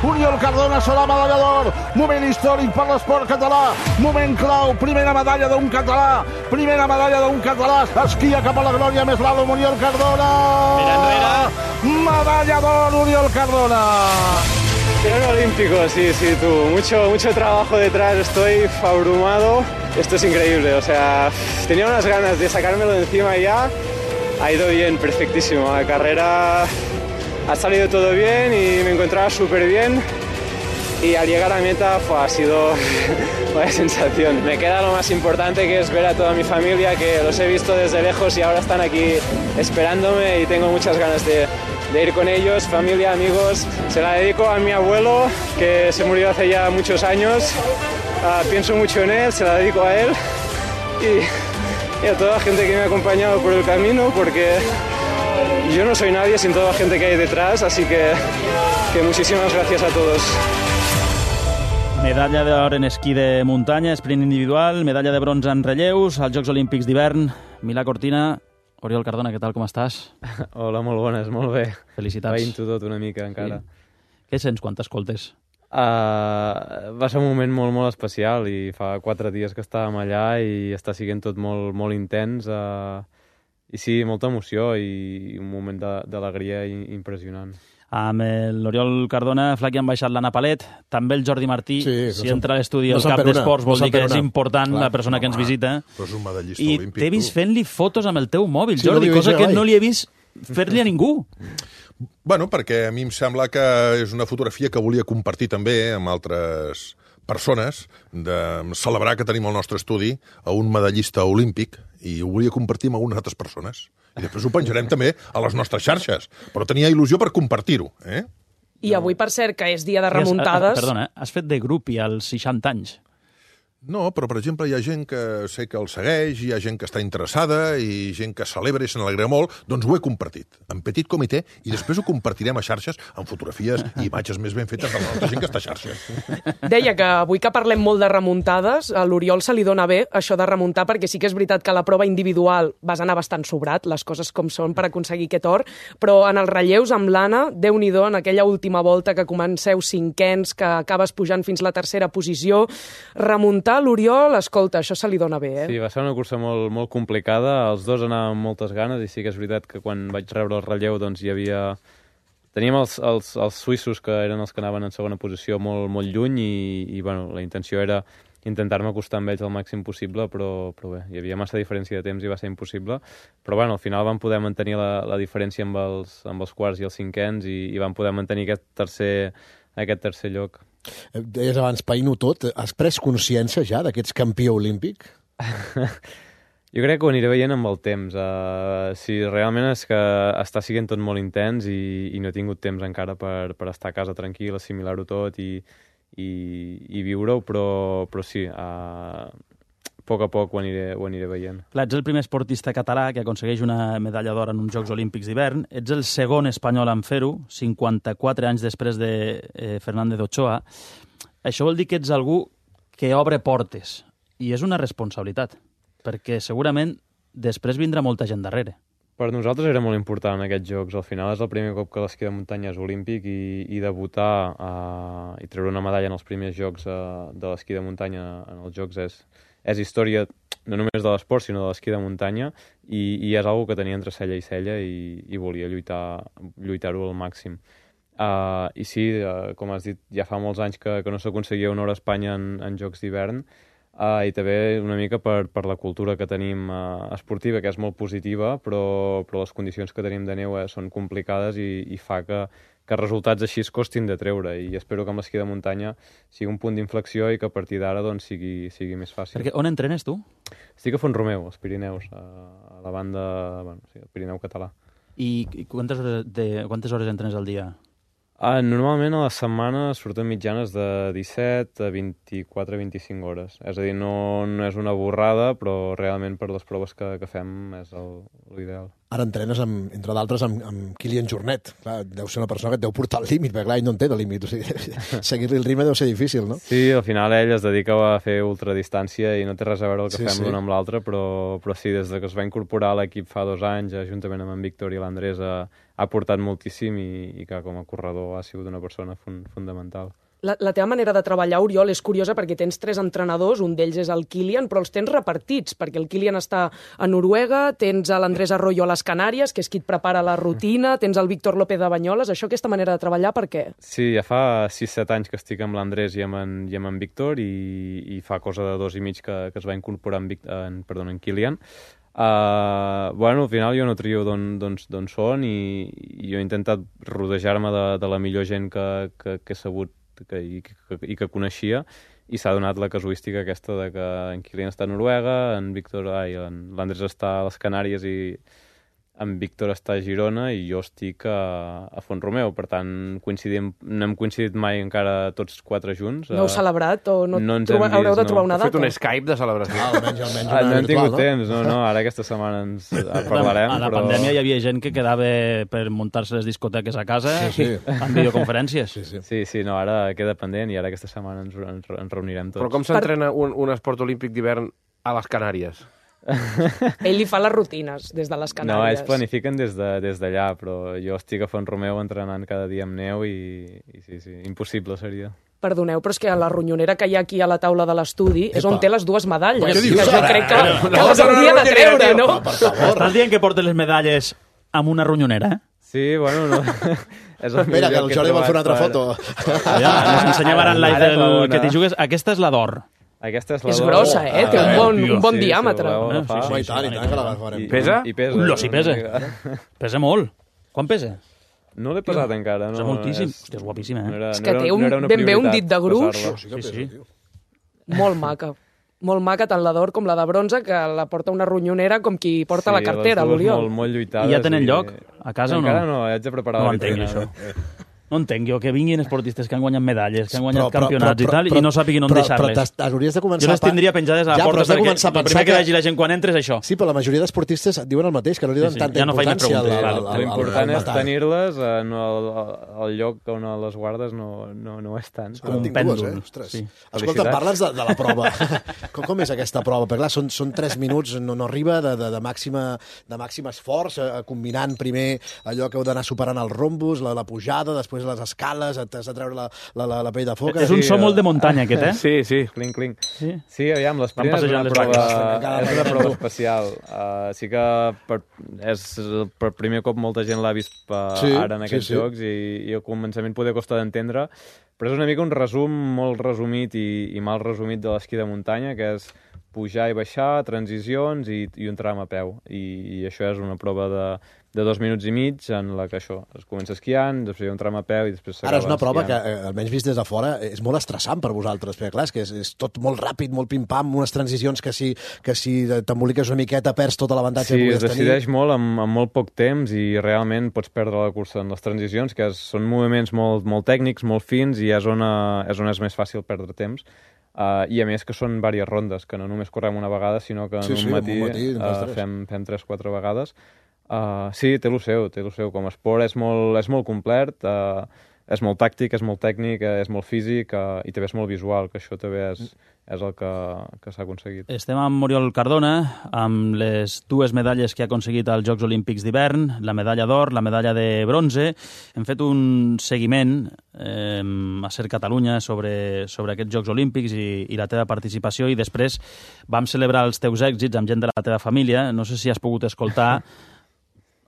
Oriol Cardona serà medalla d'or. Moment històric per l'esport català. Moment clau, primera medalla d'un català. Primera medalla d'un català. Esquia cap a la glòria, més l'Alom, Oriol Cardona. Mira enrere. Medalla d'or, Oriol Cardona. Tirón olímpico, sí, tú. Mucho trabajo detrás, estoy abrumado. Esto es increíble, o sea, tenía unas ganas de sacármelo de encima ya. Ha ido bien, perfectísimo. La carrera ha salido todo bien y me encontraba súper bien. Y al llegar a meta ha sido vaya sensación. Me queda lo más importante, que es ver a toda mi familia, que los he visto desde lejos y ahora están aquí esperándome y tengo muchas ganas de ir con ellos, familia, amigos. Se la dedico a mi abuelo, que se murió hace ya muchos años. Pienso mucho en él, se la dedico a él y a toda la gente que me ha acompañado por el camino, porque yo no soy nadie sin toda la gente que hay detrás, así que muchísimas gracias a todos. Medalla d'or en esquí de muntanya, sprint individual, medalla de bronze en relleus, als Jocs Olímpics d'hivern. Milà Cortina, Oriol Cardona, què tal, com estàs? Hola, molt bones, molt bé. Felicitats. Veient-ho tot una mica encara. Sí. Què sents quan t'escoltes? Va ser un moment molt, molt especial i fa 4 dies que estàvem allà i està sent tot molt, molt intens. I sí, molta emoció i un moment d'alegria impressionant. Amb l'Oriol Cardona, Flaqui, han baixat l'Anna Palet, també el Jordi Martí. Si entra a l'estudi el cap d'esports vol dir que és important la persona que ens visita. Però és un medallista I olímpic. t'he vist fent-li fotos amb el teu mòbil, Sí, Jordi, no cosa que no li he vist fer-li a ningú. Bueno, perquè a mi em sembla que és una fotografia que volia compartir també amb altres persones, de celebrar que tenim al nostre estudi a un medallista olímpic, i ho volia compartir amb algunes altres persones. I després ho penjarem també a les nostres xarxes. Però tenia il·lusió per compartir-ho, eh? I avui, per cert, que és dia de remuntades... Perdona, has fet de grupi als 60 anys. No, però, per exemple, hi ha gent que sé que el segueix, hi ha gent que està interessada i gent que celebra i se n'alegra molt, doncs ho he compartit, en petit comitè, i després ho compartirem a xarxes amb fotografies i imatges més ben fetes de l'altra gent que està a xarxes. Deia que avui que parlem molt de remuntades, a l'Oriol se li dona bé això de remuntar, perquè sí que és veritat que a la prova individual vas anar bastant sobrat, les coses com són per aconseguir aquest or, però en els relleus amb l'Anna, Déu-n'hi-do, en aquella última volta que comenceu cinquens, que acabes pujant fins la tercera posició, remuntar l'Oriol, escolta, això se li dona bé, eh? Sí, va ser una cursa molt, molt complicada, els dos anàvem amb moltes ganes i sí que és veritat que quan vaig rebre el relleu doncs hi havia... Teníem els suïssos que eren els que anaven en segona posició molt, molt lluny i bueno, la intenció era intentar-me acostar amb ells el màxim possible, però bé, hi havia massa diferència de temps i va ser impossible, però bueno, al final vam poder mantenir la diferència amb els quarts i els cinquens i vam poder mantenir aquest tercer lloc. Deies abans, païno tot. Has pres consciència ja d'aquest campió olímpic? Jo crec que ho aniré veient amb el temps. Sí, realment és que està sent tot molt intens i no he tingut temps encara per estar a casa tranquil, assimilar-ho tot i viure-ho, però sí, a poc ho aniré veient. Clar, ets el primer esportista català que aconsegueix una medalla d'or en uns Jocs Olímpics d'hivern. Ets el segon espanyol en fer-ho, 54 anys després de Fernández Ochoa. Això vol dir que ets algú que obre portes. I és una responsabilitat, perquè segurament després vindrà molta gent darrere. Per nosaltres era molt important en aquests Jocs. Al final és el primer cop que l'esquí de muntanya és olímpic i debutar i treure una medalla en els primers Jocs de l'esquí de muntanya en els Jocs és història no només de l'esport, sinó de l'esquí de muntanya i és una que tenia entre cella i cella i volia lluitar-ho al màxim. I sí, com has dit, ja fa molts anys que no s'aconseguia un or a Espanya en Jocs d'hivern i també una mica per la cultura que tenim esportiva, que és molt positiva, però les condicions que tenim de neu són complicades i fa que resultats així es costin de treure i espero que amb l'esquí de muntanya sigui un punt d'inflexió i que a partir d'ara doncs, sigui més fàcil. Perquè on entrenes tu? Estic a Font-romeu, als Pirineus, a la banda, el Pirineu català. I quantes hores entrenes al dia? Normalment a la setmana surten mitjanes de 17 a 24-25 hores. És a dir, no és una borrada, però realment per les proves que fem és l'ideal. Ara entrenes, entre d'altres, amb Kilian Jornet. Clar, deu ser una persona que et deu portar al límit, perquè clar, ell no en té de límit. O sigui, seguir-li el ritme deu ser difícil, no? Sí, al final ell es dedica a fer ultradistància i no té res a veure el que fem l'un amb l'altre, però sí, des que es va incorporar a l'equip fa 2 anys, juntament amb en Víctor i l'Andrés, ha portat moltíssim i que com a corredor ha sigut una persona fundamental. La teva manera de treballar, Oriol, és curiosa perquè tens 3 entrenadors, un d'ells és el Kilian, però els tens repartits, perquè el Kilian està a Noruega, tens l'Andrés Arroyo a les Canàries, que és qui et prepara la rutina, tens el Víctor López de Banyoles. Això, aquesta manera de treballar, per què? Sí, ja fa 6-7 anys que estic amb l'Andrés i amb en Víctor i fa cosa de 2 i mig que es va incorporar en Kilian. Bueno, al final jo no trio d'on són i jo he intentat rodejar-me de la millor gent que he sabut i que coneixia, i s'ha donat la casuística aquesta de que en Kilian està a Noruega, l'Andrés està a les Canàries i en Víctor està a Girona i jo estic a Font-romeu. Per tant, no hem coincidit mai encara tots 4 junts. No heu celebrat o no ens hem vist, haureu de trobar una data? Heu fet un Skype de celebració. Almenys una no hem tingut virtual, temps, no, ara aquesta setmana ens parlarem. A la pandèmia hi havia gent que quedava per muntar-se les discoteques a casa amb videoconferències. Sí, no, ara queda pendent i ara aquesta setmana ens reunirem tots. Però com s'entrena un esport olímpic d'hivern a les Canàries? Ell li fa les rutines des de les Canàries. No, ells planifiquen des d'allà, però jo estic a Font-romeu entrenant cada dia amb neu i sí, impossible seria. Perdoneu, però és que a la ronyonera que hi ha aquí a la taula de l'estudi és on té les 2 medalles. Què dius, que jo ara? crec que les hauria de treure, no? Per favor. Estàs dient que portes les medalles amb una ronyonera, Sí, bueno, no. És el Espera, que millor el Jordi vol fer una altra foto. Ja, ens ensenyava ara en live Ara, que t'hi jugues. Aquesta és la d'or. Aquesta és la És d'or. grossa, té un bon diàmetre. Si voleu, Sí, i tant, que la farem. Pesa? I pesa. Ullo, sí pesa. Pesa molt. Quan pesa? No l'he pesat encara. Pesa moltíssim. Hòstia, és guapíssima, És que té ben bé un dit de gruix. Sí. Molt maca. Molt maca, tant la d'or com la de bronze, que la porta una ronyonera com qui porta la cartera, l'Oriol. Molt lluitades. I ja tenen lloc a casa o no? Encara no, haig de preparar No la entenc, vitrina. això. No entenc jo que vinguin esportistes que han guanyat medalles, que han guanyat campionats i tal, i no sàpiguin on deixar-les. Però hauries de començar... Jo les tindria penjades a la porta, perquè el primer que vegi la gent quan entra és això. Sí, però la majoria d'esportistes et diuen el mateix, que no li donen tanta ja no faig més importància preguntes. L'important és tenir-les, el lloc on les guardes no és tant. Com un pèndol. Escolta, parles de la prova. Com és aquesta prova? Perquè clar, són 3 minuts, no arriba de màxim esforç, combinant primer allò que heu d'anar superant els rombos, la pujada, després les escales, t'has de treure la pell de foca. És un so molt de muntanya, aquest, eh? Sí. Clinc. Sí? Sí, aviam, l'esprint és una prova especial. Sí que és per primer cop molta gent l'ha vist ara en aquests jocs i al començament poder costar d'entendre, però és una mica un resum molt resumit i mal resumit de l'esquí de muntanya, que és pujar i baixar, transicions i un tram a peu. I això és una prova de 2 minuts i mig en la que això, es comença esquiant, després hi ha un tram a peu i després s'acaba esquiant. Ara és una prova esquiant. que, almenys vist des de fora, és molt estressant per vosaltres, perquè clar, és tot molt ràpid, molt pim-pam, unes transicions que si t'emboliques una miqueta perds tot l'avantatge que podies tenir. Sí, es decideix molt amb molt poc temps i realment pots perdre la cursa en les transicions, que són moviments molt tècnics, molt fins, i és on és més fàcil perdre temps. I a més que són diverses rondes, que no només correm una vegada, sinó que en un matí fem 3-4 vegades. Sí, té lo seu. Com a esport és molt complet, és molt tàctic, és molt tècnic, és molt físic i també és molt visual, que això també és el que s'ha aconseguit. Estem amb Oriol Cardona, amb les 2 medalles que ha aconseguit als Jocs Olímpics d'hivern, la medalla d'or, la medalla de bronze. Hem fet un seguiment a Ser Catalunya sobre aquests Jocs Olímpics i la teva participació, i després vam celebrar els teus èxits amb gent de la teva família. No sé si has pogut escoltar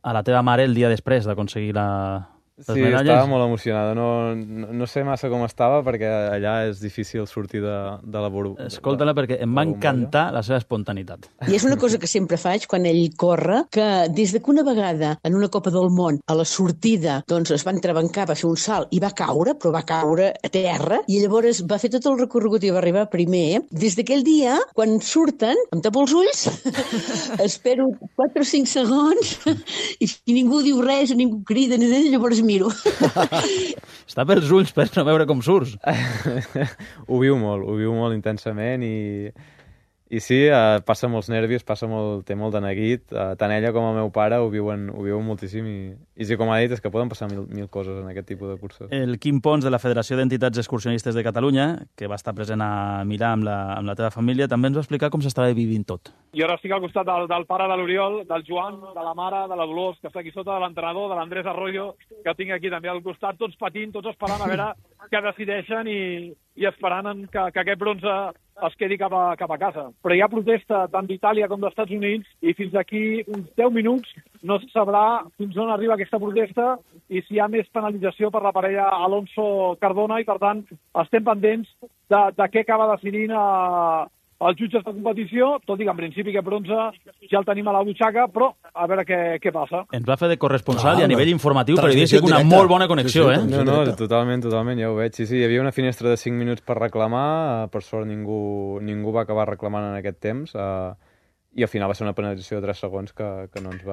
a la teva mare el dia després d'aconseguir les medalles. Sí, estava molt emocionada. No sé massa com estava, perquè allà és difícil sortir de la burbuja. Escolta-la, perquè em va encantar la seva espontaneïtat. I és una cosa que sempre faig quan ell corre, que des que una vegada en una Copa del Món, a la sortida, doncs es va entrebancar, va fer un salt i va caure, però va caure a terra, i llavors va fer tot el recorregut i va arribar primer. Des d'aquell dia, quan surten, em tapo els ulls, espero 4 o 5 segons, i si ningú diu res, ningú crida, llavors miro. Està pels ulls per no veure com surts. Ho viu molt intensament I sí, passa molts nervis, té molt de neguit. Tant ella com el meu pare ho viuen moltíssim i sí, com ha dit, és que poden passar mil coses en aquest tipus de curses. El Quim Pons, de la Federació d'Entitats Excursionistes de Catalunya, que va estar present a Milà amb la teva família, també ens va explicar com s'estava vivint tot. Jo ara estic al costat del pare de l'Oriol, del Joan, de la mare, de la Dolors, que està aquí sota, de l'entrenador, de l'Andrés Arroyo, que tinc aquí també al costat, tots patint, tots esperant a veure què decideixen i esperant que aquest bronze es quedi cap a casa. Però hi ha protesta tant d'Itàlia com dels Estats Units i fins d'aquí uns 10 minuts no se sabrà fins on arriba aquesta protesta i si hi ha més penalització per la parella Alonso-Cardona i, per tant, estem pendents de què acaba decidint els jutges de competició, tot i que en principi aquest bronze ja el tenim a la butxaca, però a veure què passa. Ens va fer de corresponsal i a nivell informatiu periodístic una molt bona connexió, sí, No, totalment, ja ho veig. Sí, hi havia una finestra de 5 minuts per reclamar, per sort ningú va acabar reclamant en aquest temps, i al final va ser una penalització de 3 segons que no ens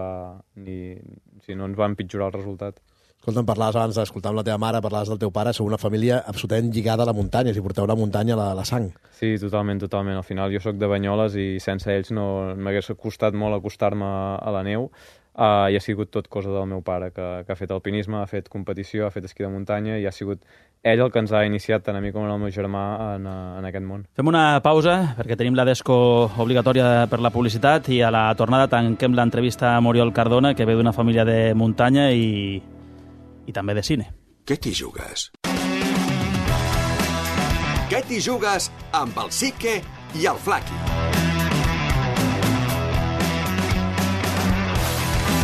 va empitjorar el resultat. Escolta, parlaves abans d'escoltar amb la teva mare, parlaves del teu pare, sou una família absolutament lligada a la muntanya, si porteu la muntanya a la sang. Sí, totalment. Al final jo sóc de Banyoles i sense ells no m'hagués costat molt acostar-me a la neu, i ha sigut tot cosa del meu pare, que ha fet alpinisme, ha fet competició, ha fet esquí de muntanya, i ha sigut ell el que ens ha iniciat, tant a mi com al meu germà, en aquest món. Fem una pausa, perquè tenim la desco obligatòria per la publicitat, i a la tornada tanquem l'entrevista a Oriol Cardona, que ve d'una família de muntanya i també de cine. Què t'hi jugues? Què t'hi jugues amb el Sique i el Flaqui?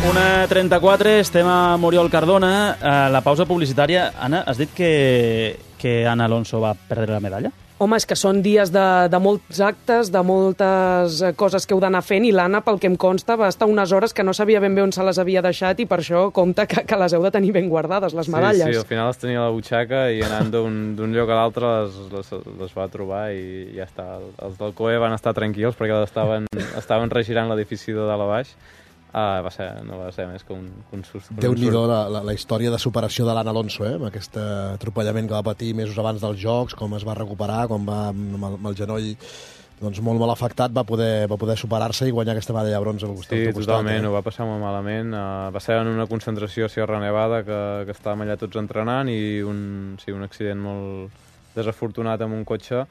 1:34, estem amb Oriol Cardona. A la pausa publicitària, Anna, has dit que Ana Alonso va perdre la medalla? Home, és que són dies de molts actes, de moltes coses que heu d'anar fent, i l'Anna, pel que em consta, va estar unes hores que no sabia ben bé on se les havia deixat, i per això compta que les heu de tenir ben guardades, les medalles. Sí, al final les tenia a la butxaca i anant d'un lloc a l'altre les va trobar i ja està. Els del COE van estar tranquils perquè estaven regirant l'edifici de dalt a baix. No va ser més que un sust. Déu-n'hi-do la història de superació de l'Anna Alonso, amb aquest atropellament que va patir mesos abans dels Jocs, com es va recuperar, com va amb el genoll molt mal afectat, va poder superar-se i guanyar aquesta medalla de bronze al costat. Sí, totalment, ho va passar molt malament. Va ser en una concentració a Sierra Nevada que estàvem allà tots entrenant i un accident molt desafortunat amb un cotxe.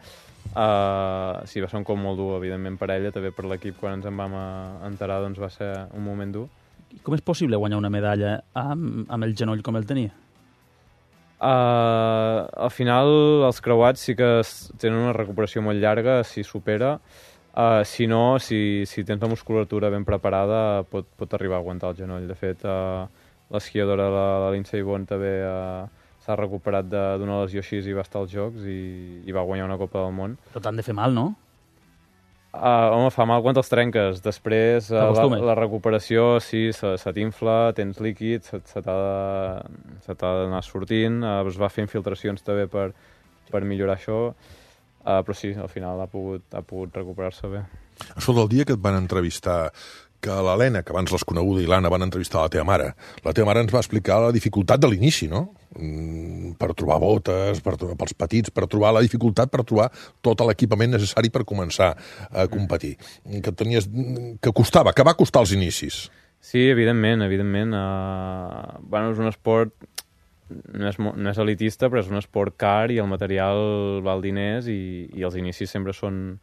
Sí, va ser un cop molt dur, evidentment, per ella, també per l'equip. Quan ens en vam enterar, doncs va ser un moment dur. Com és possible guanyar una medalla amb el genoll com el tenia? Al final, els creuats sí que tenen una recuperació molt llarga, si supera. Si no, si tens la musculatura ben preparada, pot arribar a aguantar el genoll. De fet, l'esquiadora, la Lindsey Vonn, també s'ha recuperat d'una lesió així i va estar als Jocs i va guanyar una Copa del Món. Però t'han de fer mal, no? Home, fa mal quan te'ls trenques. Després, la recuperació, sí, se t'infla, tens líquid, se t'ha d'anar sortint. Es va fer infiltracions també per millorar això. Però sí, al final ha pogut recuperar-se bé. Això del dia que et van entrevistar, que l'Helena, que abans l'has coneguda, i l'Anna van entrevistar la teva mare. La teva mare ens va explicar la dificultat de l'inici, no? Per trobar botes, pels petits, per trobar la dificultat, per trobar tot l'equipament necessari per començar a competir. Que costava, que va costar els inicis. Sí, evidentment. És un esport, no és elitista, però és un esport car i el material val diners i els inicis sempre són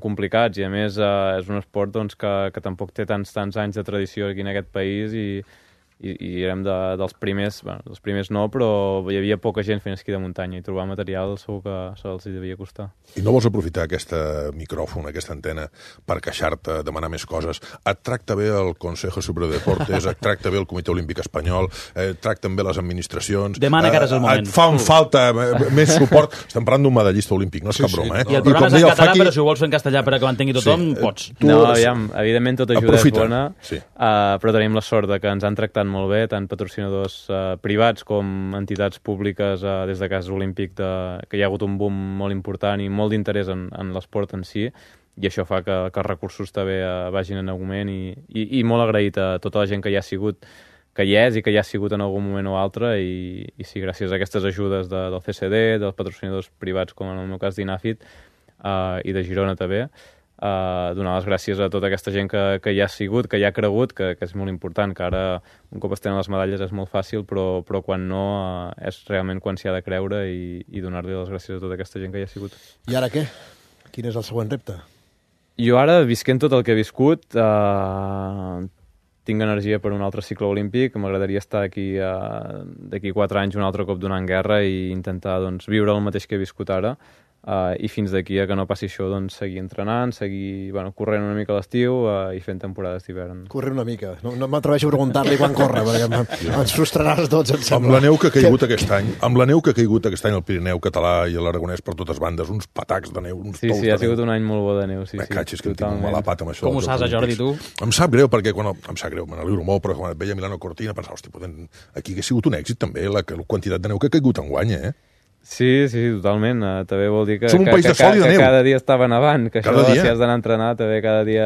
complicats i, a més, és un esport que tampoc té tants anys de tradició aquí en aquest país i érem dels primers, dels primers no, però hi havia poca gent fent esquí de muntanya i trobar material segur que se'ls devia costar. I no vols aprofitar aquest micròfon, aquesta antena, per queixar-te, demanar més coses? Et tracta bé el Consejo Superior de Deportes, et tracta bé el Comitè Olímpic Espanyol, et tracten bé les administracions... Demana que ara és el moment. Et fan falta més suport. Estem parlant d'un medallista olímpic, no és cap broma, I el programa és en català, però si ho vols fer en castellà per que l'entengui tothom, pots. No, evidentment tota ajuda és bona, però tenim la sort que ens han tractat molt bé, tant patrocinadors privats com entitats públiques des de Cas Olímpic, que hi ha hagut un boom molt important i molt d'interès en l'esport en si, i això fa que els recursos també vagin en augment i molt agraït a tota la gent que hi ha sigut, que hi és i que hi ha sigut en algun moment o altre, i sí, gràcies a aquestes ajudes del CCD, dels patrocinadors privats com en el meu cas d'Inafit i de Girona també, donar les gràcies a tota aquesta gent que hi ha sigut, que hi ha cregut, que és molt important, que ara un cop es tenen les medalles és molt fàcil, però quan no és realment quan s'hi ha de creure i donar-li les gràcies a tota aquesta gent que hi ha sigut. I ara què? Quin és el següent repte? Jo ara, visquent tot el que he viscut, tinc energia per un altre cicle olímpic, m'agradaria estar d'aquí 4 anys un altre cop donant guerra i intentar viure el mateix que he viscut ara, i fins d'aquí a que no passi això, seguir entrenant, seguir corrent una mica a l'estiu i fent temporades d'hivern. Correr una mica. No m'atreveixo a preguntar-li quan corre, perquè ens frustraràs tots, em sembla. Amb la neu que ha caigut aquest any, al Pirineu català i a l'Aragonès per totes bandes, uns patacs de neu, uns tous de neu. Sí, ha sigut un any molt bo de neu, sí. És que em tinc molt a la pata amb això. Com ho saps, Jordi, tu? Em sap greu, perquè em sap greu, me n'alegro molt, però quan et veia Milano Cortina pensava, aquí ha sigut un èxit també, la quantitat de neu que ha caigut enguany, Sí, totalment. També vol dir que cada dia estava nevant, que això, si has d'anar a entrenar, també cada dia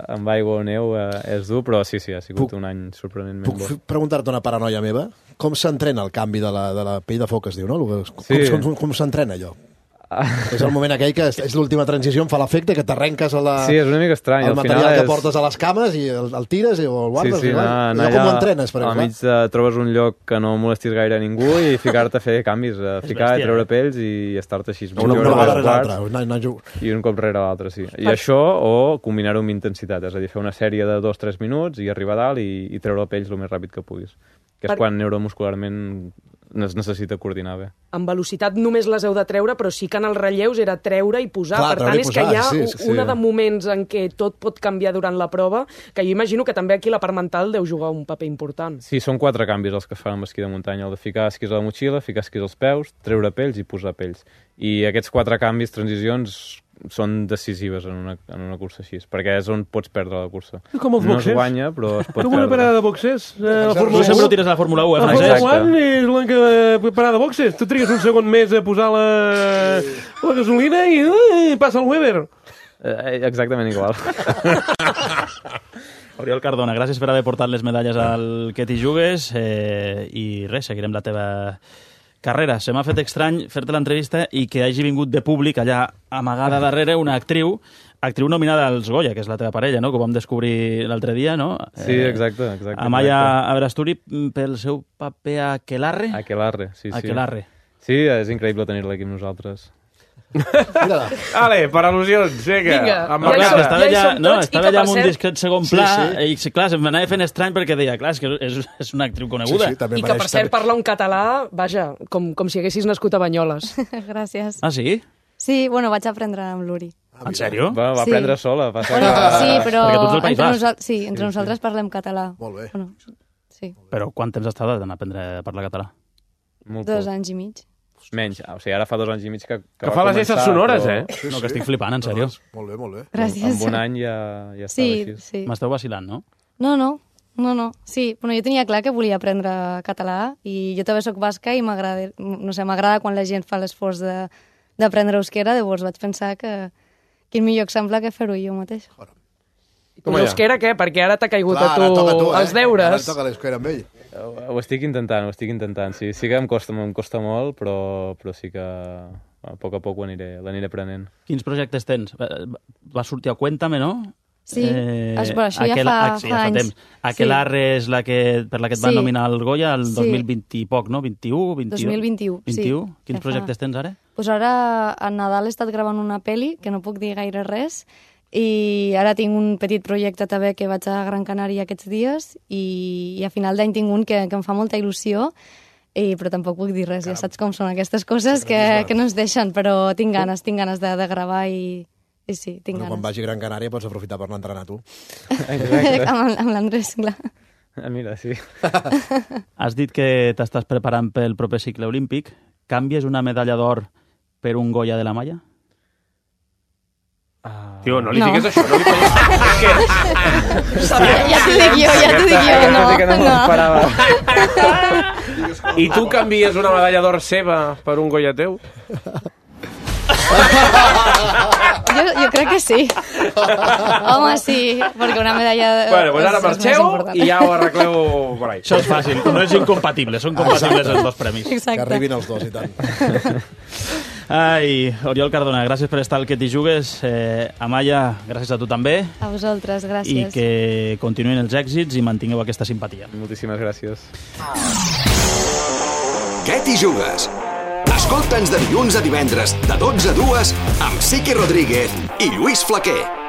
amb aigua o neu és dur, però sí, ha sigut un any sorprenentment bo. Puc preguntar-te una paranoia meva? Com s'entrena el canvi de la pell de foc, es diu, no? Com s'entrena allò? És el moment aquell que és l'última transició, em fa l'efecte que t'arrenques Sí, és una mica estrany. El material que portes a les cames i el tires o el guardes. Sí, com ho entrenes, per exemple? Al mig trobes un lloc que no molestis gaire a ningú i ficar-te a fer canvis, ficar, treure pells i estar-te així. Una vegada rere l'altra. I un cop rere l'altre, sí. I això, o combinar-ho amb intensitat, és a dir, fer una sèrie de 2-3 minuts i arribar a dalt i treure pells el més ràpid que puguis. Que és quan neuromuscularment es necessita coordinar bé. En velocitat només les heu de treure, però sí que en els relleus era treure i posar. Per tant, és que hi ha una de moments en què tot pot canviar durant la prova, que jo imagino que també aquí la part mental deu jugar un paper important. Sí, són 4 canvis els que es fan amb esquí de muntanya. El de ficar esquís a la motxilla, ficar esquís als peus, treure pells i posar pells. I aquests 4 canvis, transicions, són decisives en una cursa així, perquè és on pots perdre la cursa. Com els boxers. No es guanya, però es pot com una parada de boxers. Tu sempre ho tires a la Fórmula 1, La Fórmula 1 és l'única parada de boxers. Tu trigues un segon més a posar la gasolina i passa el Weber. Exactament igual. Oriol Cardona, gràcies per haver portat les medalles al Que t'hi jugues i res, seguirem la teva carrera. Se m'ha fet estrany fer-te l'entrevista i que hagi vingut de públic allà amagada darrere una actriu nominada als Goya, que és la teva parella, no? Que ho vam descobrir l'altre dia, no? Sí, exacte. Amaya Aberasturi pel seu paper a Aquelarre. Sí. Aquelarre. Sí, és increïble tenir-la aquí amb nosaltres. Ale, per al·lusions, vinga. Estava allà amb un discret segon pla i clar, se'm anava fent estrany perquè deia, clar, és una actriu coneguda. I que per cert parla un català, vaja, com si haguessis nascut a Banyoles. Gràcies. Ah, sí? Sí, bueno, vaig aprendre amb l'Uri. En sèrio? Va aprendre sola. Sí, però entre nosaltres nosaltres parlem català. Molt bé. Sí. Però quant temps has estat d'aprendre a parlar català? 2 anys i mig. Menys, o sigui, ara fa 2 anys i mig que fa les esses sonores, No, que estic flipant, en sèrio. Molt bé. Gràcies. En un any ja estava així. Sí. M'esteu vacilant, no? No. Sí, bueno, jo tenia clar que volia aprendre català i jo també soc basca i m'agrada quan la gent fa l'esforç d'aprendre euskera, llavors vaig pensar que quin millor exemple que fer-ho jo mateix. L'euskera què? Perquè ara t'ha caigut a tu els deures. Ara toca l'euskera amb ell. Ho estic intentant. Sí que em costa molt, però sí que a poc l'aniré aprenent. Quins projectes tens? Va sortir a Cuéntame, no? Sí, això ja fa anys. Aquelarre és per la que et van nominar al Goya el 2020 i poc, no? 2021, sí. Quins projectes tens ara? Doncs ara a Nadal he estat gravant una pel·li, que no puc dir gaire res, i ara tinc un petit projecte també que vaig a Gran Canària aquests dies i a final d'any tinc un que em fa molta il·lusió, però tampoc puc dir res, ja saps com són aquestes coses que no ens deixen, però tinc ganes de gravar i sí, tinc ganes. Quan vagi a Gran Canària pots aprofitar per anar a entrenar tu. Amb l'Andrés, clar. Mira, sí. Has dit que t'estàs preparant pel proper cicle olímpic. Canvies una medalla d'or per un Goya de la Malla? Tio, no li digues això, no li digues... Ja t'ho dic jo, no. I tu canvies una medalla d'or seva per un Goya teu? Jo crec que sí. Home, sí, perquè una medalla... Bueno, doncs ara marxeu i ja ho arregleu per ahí. Això és fàcil, no és incompatible, són compatibles els dos premis. Exacte. Que arribin els dos i tant. Ai, Oriol Cardona, gràcies per estar al Que t'hi jugues. Amaya, gràcies a tu també. A vosaltres, gràcies. I que continuïn els èxits i mantingueu aquesta simpatia. Moltíssimes gràcies. Què t'hi jugues? Escolta'ns de dilluns a divendres, de 12 a 2, amb Sique Rodríguez i Lluís Flaquer.